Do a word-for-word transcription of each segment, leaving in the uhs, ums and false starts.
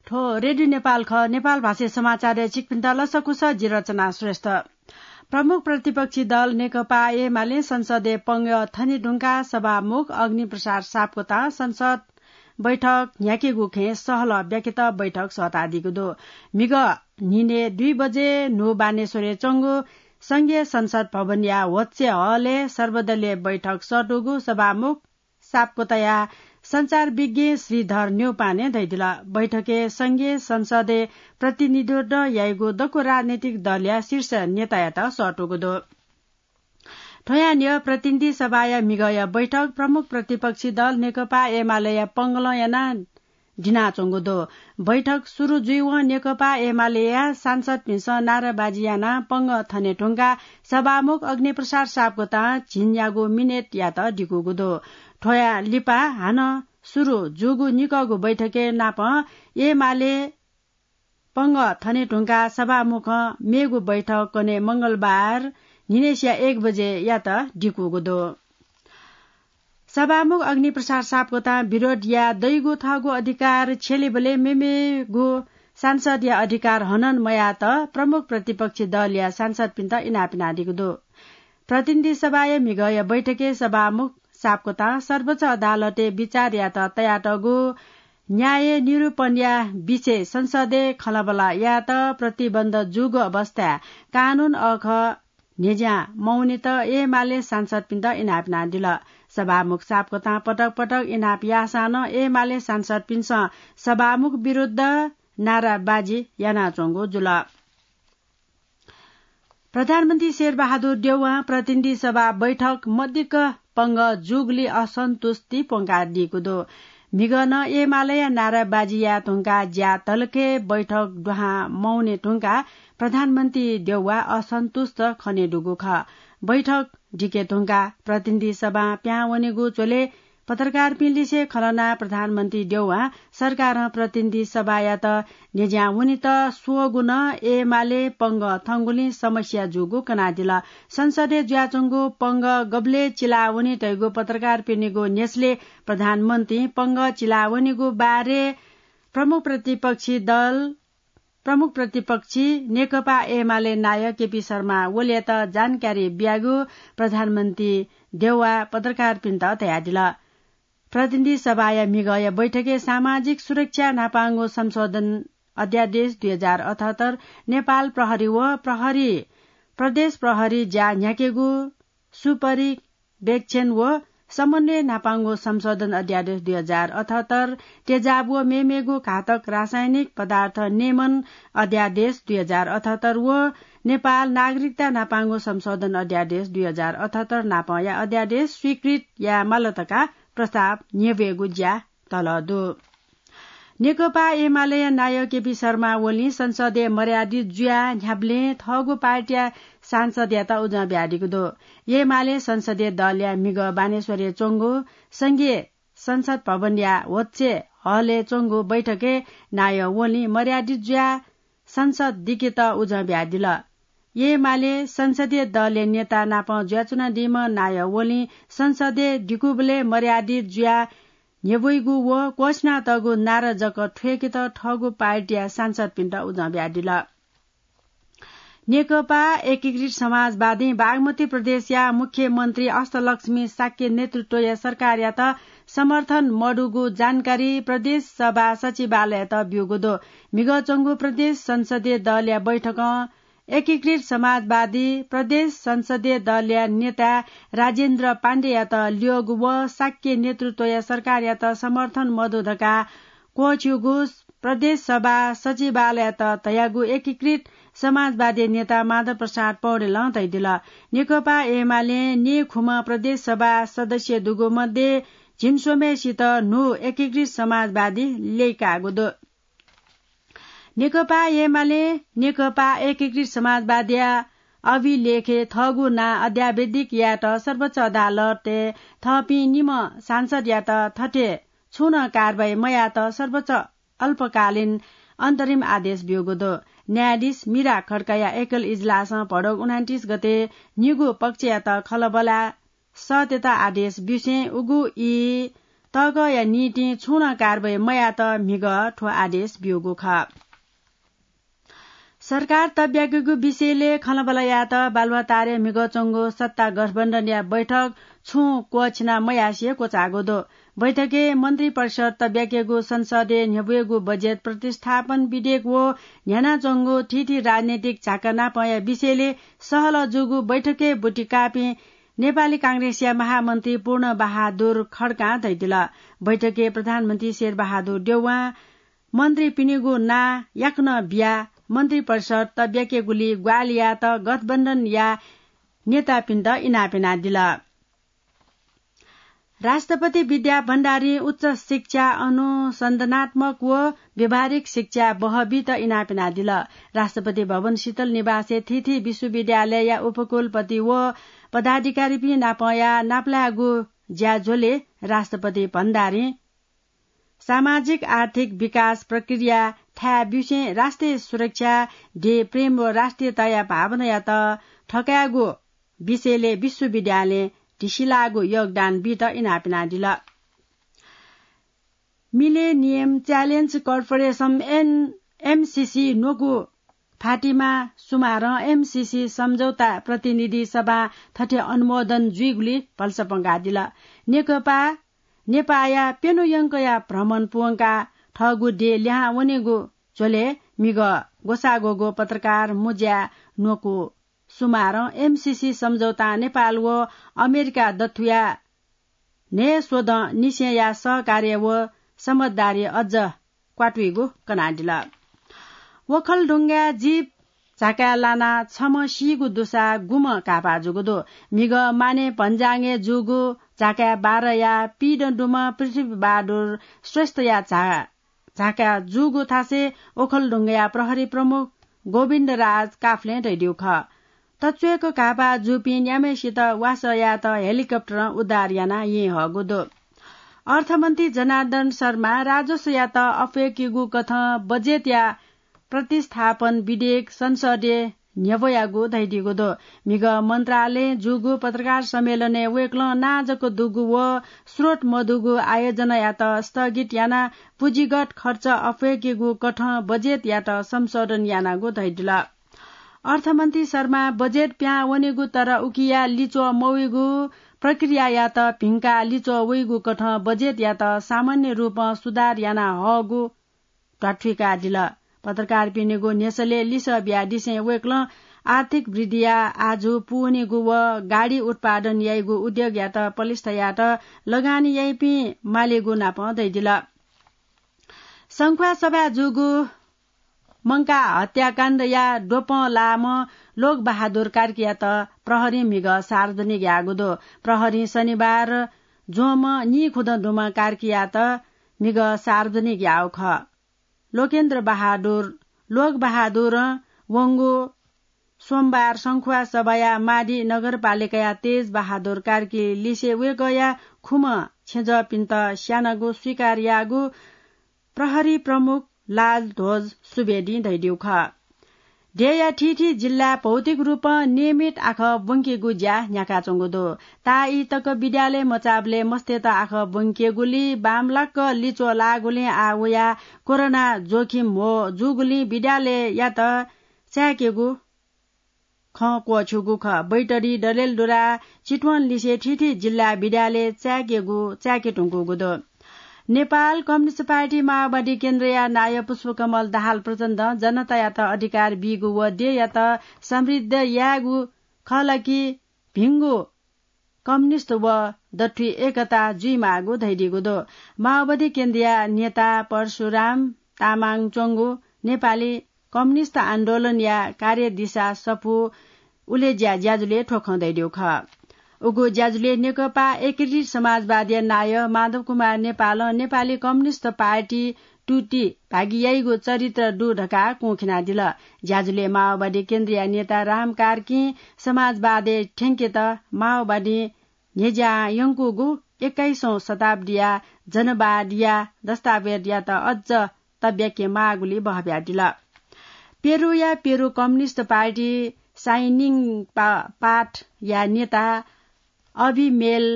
थ्व रेडियो नेपाल खः। नेपाल भाषाय् समाचारय् छिकपिन्त लसकुस, जि रचना श्रेष्ठ। प्रमुख प्रतिपक्षी दल नेकपा एमाले संसदय् पंगः थने धुंकाः सभामुख अग्निप्रसाद सापकोतां संसद बैठक न्ह्याकेगु खँय् सहलह ब्याकेत बैठक सःतादीगु दु। म्हिगः न्हिनय् दुई बजे न्हू बानेश्वरय् च्वंगु संघीय संसद भवनया होच्चे हलय् सर्वदलीय बैठक सःतूगु सभामुख सापकोताया सञ्चार विज्ञ श्रीधर न्यौपाने धयादिल। बैठकय् संघीय संसदय् प्रतिनिधित्व याइगु दक्व राजनैतिक दलया शीर्ष नेतायात सःतूगु दु। थ्वयां न्ह्यः प्रतिनिधि सभाया म्हिगःया बैठक प्रमुख प्रतिपक्षी दल नेकपा एमालेया पंगलं यानाः दिनाच्वंगु दु। बैठक सुरु जुइवं नेकपा एमालेया सांसदपिन्सं नाराबाजी यानाः पंगः थने धुंकाः सभामुख अग्निप्रसाद सापकोतां झिंन्यागू मिनेटयात दिकूगु दु। थ्वया लिपा हानं सुरु जूगु निकःगु बैठकय् नापं एमाले पंगः थने धुंकाः सभामुखं मेगु बैठक कन्हय् मंगलबार न्हिनय्सिया एक बजेयात दिकूगु दु। सभामुख अग्निप्रसाद सापकोतां विरोध याये दइगु थःगु अधिकार छ्यलीबलय् मेमेगु सांसदया अधिकार हनं मयायेत प्रमुख प्रतिपक्षी दलया सांसदपिन्त इनाप यानादीगु दु। प्रतिनिधि सभाया म्हिगःया बैठकय् सभामुख सापकोतां सर्वोच्च अदालतय् बिचार यायेत तयातःगु न्याय निरूपणया विषय संसदय् खँल्हाबल्हा यायेत प्रतिबन्ध जूगु अवस्थाय् कानून अःखः न्ह्यज्यां मवनेत एमाले सांसदपिन्त इनाप यानादिल। सभामुख सापकोतां पटक पटक इनाप याःसां नं एमाले सांसदपिन्सं सभामुख विरुद्ध नाराबाजी यानाच्वंगु जुल। प्रधानमन्त्री शेरबहादुर देउवां प्रतिनिधि सभा बैठक मदिक्क पंगः जूगुलिं असन्तुष्टि प्वंकादीगु दु। म्हिगः नं एमालेया नाराबाजी याये धुंकाः ज्या तलके बैठक दुहां मवने धुंकाः प्रधानमन्त्री देउवा असन्तुष्ट खनेदुगु खः। बैठक दिके धुंकाः प्रतिनिधि सभां पिहां वनेगु झ्वलय् पत्रकारपिं लिसे खँ ल्हानाः प्रधानमन्त्री देउवां सरकारं प्रतिनिधि सभायात न्ह्यज्यां वनेत स्वःगु नं एमाले पंगः थंगुलिं समस्या जूगु कनादिल। संसदय् जुयाच्वंगु पंगः गबलय् चिलावनी धइगु पत्रकारपिनिगु न्ह्यसलय् प्रधानमन्त्रीं पंगः चिलावनीगु बारे प्रमुख प्रतिपक्षी दल, प्रमुख प्रतिपक्षी नेकपा एमाले नायः केपी शर्मा ओलीयात जानकारी बियागु प्रधानमन्त्री देउवां पत्रकारपिन्त धयादिल। प्रतिनिधि सभाया म्हिगःया बैठकय् सामाजिक सुरक्षा न्हापांगु संशोधन अध्यादेश दुई हजार अठहत्तर, नेपाल प्रहरी व प्रहरी प्रदेश प्रहरी ज्या न्ह्याकेगु सुपरिवेक्षण व समन्वय न्हापांगु संशोधन अध्यादेश दुई हजार अठहत्तर, तेजाब व मेमेगु घातक रासायनिक पदार्थ नियमन अध्यादेश दुई हजार अठहत्तर व नेपाल नागरिकता न्हापांगु संशोधन अध्यादेश दुई हजार अठहत्तर नापंया अध्यादेश स्वीकृत याये माल धकाः प्रस्ताव न्ह्यब्वयेगु ज्या तल दु। नेकपा एमालेया नायः केपी शर्मा ओलीं संसदय् मर्यादित जुयाः न्ह्याबलें थःगु पार्टीया सांसदयात उजं बियादीगु दु। एमाले संसदीय दलया म्हिगः बानेश्वरय् च्वंगु संघीय संसद भवनया होच्चे हलय् च्वंगु बैठकय् नायः ओलीं मर्यादित जुयाः संसद दिकेत उजं बियादिल। एमाले संसदीय दलया नेता नाप जुयाच्वनादीम्ह नायः ओलीं संसदय् दिकूबलय् मर्यादित जुयाः न्ह्यब्वइगु व क्वःछिनातःगु नारा जक थ्वय्केत थःगु पार्टीया सांसदपिन्त उजं बियादिल। नेकपा एकीकृत समाजवादीं बागमती प्रदेशया मुख्यमन्त्री अष्टलक्ष्मी शाक्य नेतृत्वया सरकारयात समर्थन मदुगु जानकारी प्रदेश सभा सचिवालययात ब्यूगु दु। म्हिगः च्वंगु प्रदेश संसदीय दलया बैठकं एकीकृत समाजवादी प्रदेश संसदीय दलया नेता राजेन्द्र पाण्डेयात ल्यःगु व शाक्य नेतृत्वया सरकारयात समर्थन मदु धकाः क्वःछिउगु प्रदेश सभा सचिवालययात धयागु एकीकृत समाजवादी नेता माधव प्रसाद पौडेलं धयादिल। नेकपा एमालें निखुम्ह प्रदेश सभा सदस्य दुगु मध्ये झिंस्वम्हय्सित न्हू एकीकृत समाजवादी ल्यय्कागु दु। नेकपा एमालें नेकपा एकीकृत समाजवादीया अभिलेखय् थःगु नां अद्यावधिक यायेत सर्वोच्च अदालतय् थःपिं निम्ह सांसदयात थथे छुं नं कारवाही मयायेत सर्वोच्च अल्पकालीन अन्तरिम आदेश ब्यूगु दु। न्यायाधीश मीरा खड्काया एकल इजलासं भदौ उनान्तिस गते निगू पक्षयात खँल्हाबल्हा सःतेत आदेश ब्यूसें उगु ई तःगःया निंतिं छुं नं कारवाही मयात म्हिगः थ्व आदेश ब्यूगु खः। सरकार तब्याकेगु विषयले खँल्हाबल्हा यायेत बालुवाटारय् म्हिगः च्वंगु सत्ता गठबन्धनया बैठक छुं क्वःछिना मयासें क्वचाःगु दु। बैठकय् मन्त्री परिषद तब्याकेगु, संसदय् न्ह्यब्वयेगु बजेट प्रतिस्थापन विधेयक व न्ह्यानाच्वंगु थीथी राजनैतिक झाँक्रीनापंया विषयले सहलह जूगु बैठकय् ब्वति काःपिं नेपाली कांग्रेसया महामन्त्री पूर्ण बहादुर खड्कां धयादिल। बैठकय् प्रधानमन्त्री शेरबहादुर देउवां मन्त्रीपिनिगु नां याकनं बियाः मन्त्री परिषद तब्याकेगुली ग्वाहालि यायेत गठबन्धनया नेतापिन्त इनाप यानादिल। राष्ट्रपति विद्या भण्डारीं उच्च शिक्षा अनुसन्धानात्मक व व्यावहारिक शिक्षा बहः बीत इनाप यानादिल। राष्ट्रपति भवन शीतल निवासय् थीथी विश्वविद्यालयया उपकुलपति व पदाधिकारीपिं नापं याः नापलायेगु ज्याझ्वलय् राष्ट्रपति भण्डारीं सामाजिक आर्थिक विकास प्रक्रिया थाय् ब्यूसें राष्ट्रिय सुरक्षा, देय् प्रेम व राष्ट्रियताया भावनायात थकायेगु विषयले विश्वविद्यालयं धिसिलाःगु योगदान बीत इनाप यानादिल। Millennium Challenge Corporation, एन-, एमसिसी न्वकू फातिमा सुमारं एमसिसी सम्झौता प्रतिनिधि सभां थथे अनुमोदन जुइगुली भलसा पंकादिल। नेकपा नेपाःया प्यन्हु यंकया भ्रमण पूवंकाः थःगु देय् लिहां वनेगु झ्वलय् म्हिगः ग्वसाः ग्वःगु पत्रकार मुज्या न्वकू सुमारं एमसिसी सम्झौतां नेपाल व अमेरिका दथुया न्हय् स्वदँ निसेंया सहकार्य व समझदारी अझ क्वातुइगु कनादिल। ओखलढुङ्गाय् जीप झाकाय् लानाः छम्ह सीगु दुसा गुम्ह घाःपाः जूगु दु। म्हिगः माने भन्जाङय् जूगु झाकाय् बाह्रया पीदँ दुम्ह पृथ्वीबहादुर श्रेष्ठया झा-, झाकाय् जूगु थासय् ओखलढुङ्गाया प्रहरी प्रमुख गोविन्दराज काफ्लें धयादिउ खः। तच्वय्क घाःपाः जूपिं न्याम्हय्सित वासः यायेत हेलिकप्टरं उद्धार यानाः यंहःगु दु। अर्थमन्त्री जनार्दन शर्मां राजस्वयात अप्वय्केगु कथं बजेटया प्रतिस्थापन विधेयक संसदय् न्ह्यब्वयागु धयादीगु दु। म्हिगः मन्त्रालयं जूगु पत्रकार सम्मेलनय् वय्कलं नां जक दुगु व स्रोत मदुगु आयोजनायात स्थगित यानाः पुँजीगत खर्च अप्वय्केगु कथं बजेटयात संशोधन यानागु धयादिल। अर्थमन्त्री शर्मां बजेट पिहां वनेगु तर उकिया लिच्वः मवइगु प्रक्रियायात भिंकाः लिच्वः वइगु कथं बजेटयात सामान्य रूपं सुधार याना हःगु ध्वाथुइकादिल। पत्रकारपिनिगु न्ह्यसलय् लिसः बियादिसें वय्कलं आर्थिक वृद्धिया आजु पूवनीगु व गाडी उत्पादन याइगु उद्योगयात पलिस्था यायेत लगानी याइपिं मालेगु नापं धयादिल। संख्वासभाय् जूगु मंकाः हत्याकाण्डया द्वपं लाःम्ह लोकबहादुर कार्कीयात प्रहरीं म्हिगः सार्वजनिक याःगु दु। प्रहरीं शनिबार ज्वंम्ह नीखुदँ दुम्ह कार्कीयात म्हिगः सार्वजनिक याःगु खः। लोकेन्द्र बहादुर, लोकबहादुरं वंगु सोमबार संख्वासभाया माडी नगरपालिकाया तेजबहादुर कार्की लिसे वय्कःया खुम्ह छेँजःपिन्त स्यानागु स्वीकार याःगु प्रहरी प्रमुख लालध्वज सुवेदीं धयादिउ खः। देय्या थीथी जिल्लाय् भौतिक रूपं नियमित आखः ब्वंकेगु ज्या न्ह्याकाच्वंगु दु। ताःई तक विद्यालय मचाःबलय् मस्तय्त आखः ब्वंकेगुली बांमलाक लिच्वः लाःगुलिं आः वयाः कोरोना जोखिम ह्वः जूगुलिं विद्यालययात चाय्केगु खँ क्वःछिउगु खः। बैतडी, डडेलधुरा, चितवन लिसे थीथी जिल्लाय् विद्यालय चाय्केगु, चाय्के धुंकूगु दु। नेपाल कम्युनिस्ट पार्टी माओवादी केन्द्रया नायः पुष्पकमल दाहाल प्रचण्डं जनतायात अधिकार बीगु व देय्यात समृद्ध यायेगु खः ला कि भिंगु कम्युनिस्ट व दथुइ एकता जुइमाःगु धयादीगु दु। माओवादी केन्द्रया नेता परशुराम तामाङ च्वंगु नेपाली कम्युनिस्ट आन्दोलनया कार्यदिशा सफू उलेज्या ज्याझ्वलय् थ्व खँ धयादीगु खः। उगु ज्याझ्वलय् नेकपा एकीकृत समाजवादीया नायः माधव कुमार नेपालं नेपाली कम्युनिस्ट पार्टी तुति भागि याइगु चरित्र दु धकाः कुंखिनादिल। ज्याझ्वलय् माओवादी केन्द्रया नेता राम कार्कीं समाजवादय् थ्यंकेत माओवादीं न्ह्यज्यां यंकूगु एक्काइसौं शताब्दीया जनवादया दस्तावेजयात अझ तब्याके माःगुली बहब्यादिल। पेरुया पेरु कम्युनिस्ट पार्टी साइनिङ पा-, पाथया नेता अभिमेल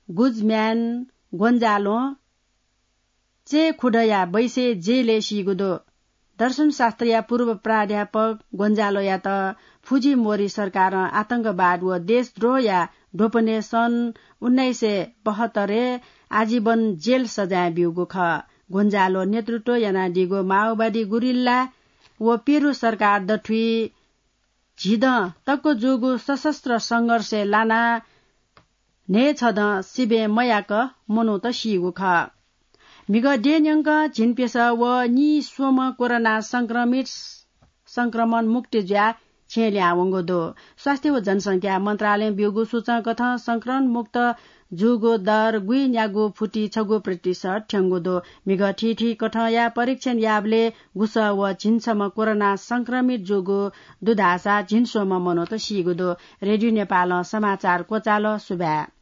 गुजम्यान गोन्जालों चेखुडया बैसे जेलय् सीगु दु। दर्शनशास्त्रया पूर्व प्राध्यापक गोन्जालोयात फुजिमोरी सरकारं आतंकवाद व देशद्रोहया ढोपनय् सन् उन्नाइस सय बहत्तरय् आजीवन जेल सजाय ब्यूगु खः। गोन्जालो नेतृत्व यानादीगु माओवादी गुरिल्ला व पेरु सरकार दथुइ झिदँ तक्क जूगु सशस्त्र संघर्षय् लानाः न्हय्छदँ सिबें मयाक मनूत सीगु खः। म्हिगः द्यः न्यंक झिंप्यसः व नीस्वम्ह कोरोना संक्रमित संक्रमण मुक्त जुयाः छेँ लिहां वंगु दु। स्वास्थ्य व जनसंख्या मन्त्रालयं ब्यूगु सूचंकथं संक्रमण मुक्त जूगु दर गुइन्यागू फुति छगू प्रतिशत थ्यंगु दु। म्हिगः थीथी कथंया परीक्षण याःबलय् गुसः व झिंछम्ह कोरोना संक्रमित जूगु दु धाःसा झिंस्वम्ह मनूत सीगु दु। रेडियो नेपालं समाचार क्वचाल। सुभाय्।